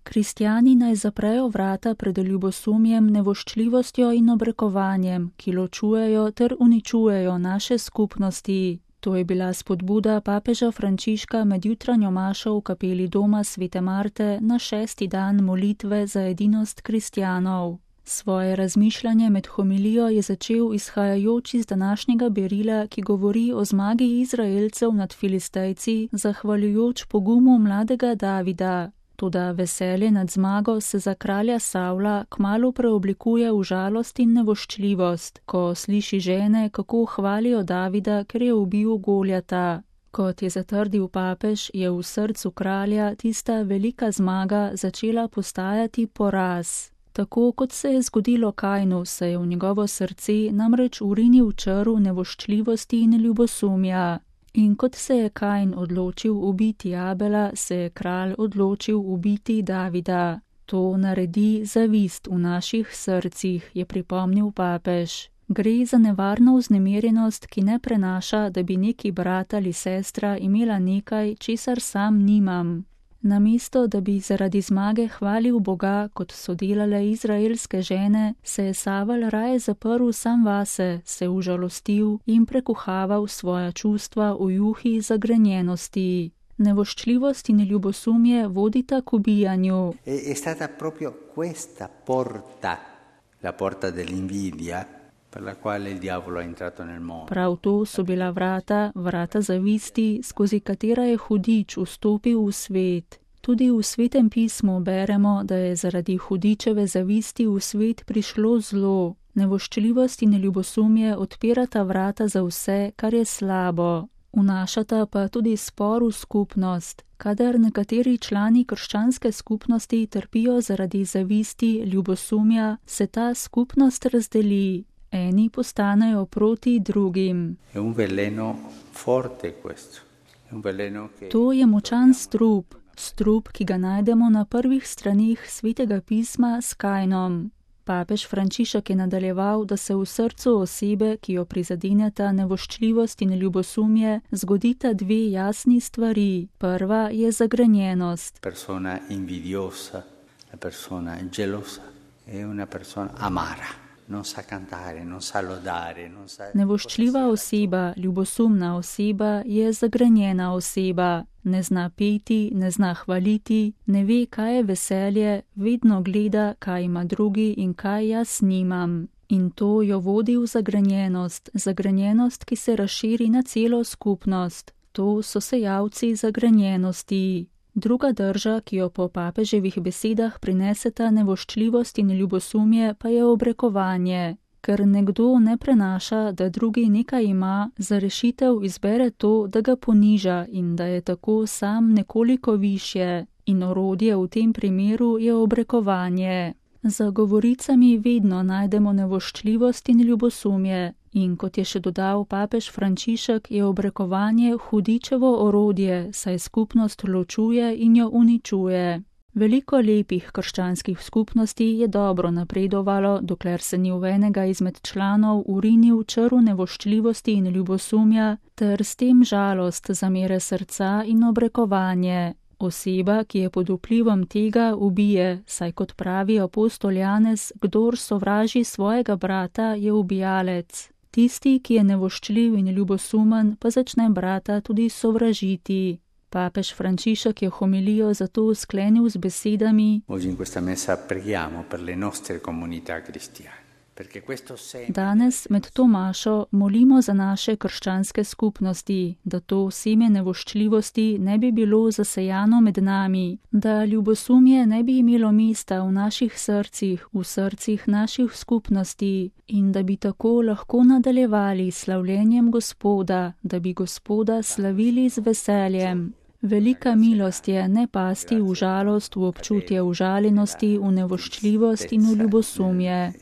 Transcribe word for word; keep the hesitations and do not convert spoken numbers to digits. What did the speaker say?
Kristjani naj zaprejo vrata pred ljubosumjem, nevoščljivostjo in obrekovanjem, ki ločujejo ter uničujejo naše skupnosti. To je bila spodbuda papeža Frančiška med jutranjo mašo v kapeli doma svete Marte na šesti dan molitve za edinost kristjanov. Svoje razmišljanje med homilijo je začel izhajajoč iz današnjega berila, ki govori o zmagi Izraelcev nad Filistejci, zahvaljujoč pogumu mladega Davida. Toda veselje nad zmago se za kralja Savla kmalu preoblikuje v žalost in nevoščljivost, ko sliši žene, kako hvalijo Davida, ker je ubil Goljata. Kot je zatrdil papež, je v srcu kralja tista velika zmaga začela postajati poraz. Tako kot se je zgodilo Kainu, se je v njegovo srce namreč urinil črv nevoščljivosti in ljubosumja. In kot se je Kain odločil ubiti Abela, se je kralj odločil ubiti Davida. To naredi zavist v naših srcih, je pripomnil papež. Gre za nevarno vznemirjenost, ki ne prenaša, da bi neki brat ali sestra imela nekaj, česar sam nimam. Namesto, da bi zaradi zmage hvalil Boga, kot so delale izraelske žene, se je Savel raje zaprl sam vase, se užalostil in prekuhaval svoja čustva v juhi zagrenjenosti. Nevoščljivost in ljubosumje vodita k ubijanju. È stata proprio questa porta, la porta dell'invidia, per la quale il diavolo è entrato nel mondo. Prav to so bila vrata, vrata zavisti, skozi katera je hudič vstopil v svet. Tudi v Svetem pismu beremo, da je zaradi hudičeve zavisti v svet prišlo zlo. Nevoščljivost in ljubosumje odpirata vrata za vse, kar je slabo. Vnašata pa tudi spor v skupnost. Kadar nekateri člani krščanske skupnosti trpijo zaradi zavisti, ljubosumja, se ta skupnost razdeli. Eni postanejo proti drugim. To je močan strup, strup, ki ga najdemo na prvih straneh Svetega pisma s Kainom. Papež Frančišek je nadaljeval, da se v srcu osebe, ki jo prizadeneta nevoščljivost in ljubosumje, zgodita dve jasni stvari. Prva je zagrenjenost. Persona invidiosa, la persona gelosa è una persona amara. Non sa cantare, non sa lodare, non sa... Nevoščljiva oseba, ljubosumna oseba je zagrenjena oseba. Ne zna peti, ne zna hvaliti, ne ve, kaj je veselje, vedno gleda, kaj ima drugi in kaj jaz nimam. In to jo vodi v zagrenjenost, zagrenjenost, ki se razširi na celo skupnost. To so sejalci zagrenjenosti. Druga drža, ki jo po papeževih besedah prineseta nevoščljivost in ljubosumje, pa je obrekovanje. Ker nekdo ne prenaša, da drugi nekaj ima, za rešitev izbere to, da ga poniža in da je tako sam nekoliko višje. In orodje v tem primeru je obrekovanje. Za govoricami vedno najdemo nevoščljivost in ljubosumje. In kot je še dodal papež Frančišek, je obrekovanje hudičevo orodje, saj skupnost ločuje in jo uničuje. Veliko lepih krščanskih skupnosti je dobro napredovalo, dokler se ni v enega izmed članov urinil črv nevoščljivosti in ljubosumja, ter s tem žalost, zamere srca in obrekovanje. Oseba, ki je pod vplivom tega, ubije, saj kot pravi apostol Janez, kdor sovraži svojega brata, je ubijalec. Tisti, ki je nevoščljiv in ljubosumen, pa začne brata tudi sovražiti. Papež Frančišek je homilijo zato sklenil z besedami: Danes med to mašo molimo za naše krščanske skupnosti, da to seme nevoščljivosti ne bi bilo zasejano med nami, da ljubosumje ne bi imelo mesta v naših srcih, v srcih naših skupnosti in da bi tako lahko nadaljevali s slavljenjem Gospoda, da bi Gospoda slavili z veseljem. Velika milost je ne pasti v žalost, v občutje užaljenosti, v nevoščljivost in v ljubosumje.